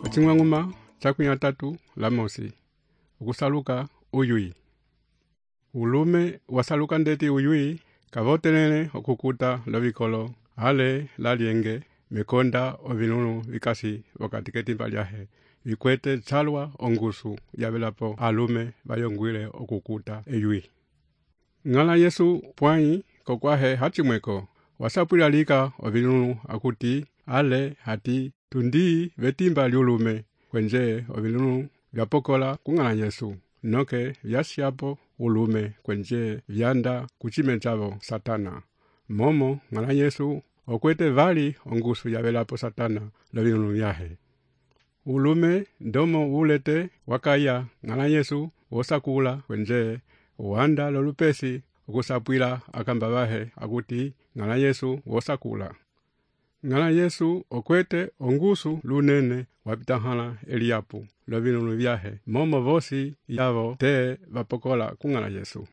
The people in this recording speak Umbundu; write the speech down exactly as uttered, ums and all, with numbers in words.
Ocing'wang'uma chakwia tatu la mosi. Ukusaluka uyui. Ulume wasaluka ndeti uyui kavotelele okukuta lovikolo ale lalienge mekonda ovinunu vikasi wakati ketimba lyahe vikwete chalwa ongusu yavelapo alume vayongwile okukuta eyui. Ng'ala Yesu pwai kokwahe hachimweko wasapwila lika ovinunu akuti ale hati tundi vetimba liulume kwenje ovinunu vyapokola kung'ala Yesu noke vyasyapo ulume kwenje vyanda kuchime chavo Satana. Momo ng'ala Yesu okwete vali ongusu yavelapo Satana lovinunu vyahe. Ulume ndomo ulete wakaya ng'ala Yesu wosakula kwenje wanda lolupesi ukusapwila akamba vahe akuti ng'ala Yesu wosakula. Ng'ala Yesu okwete ongusu lunene wapitahala eliapu lovinunu vyahe momo vosi yavo te vapokola kung'ala Yesu.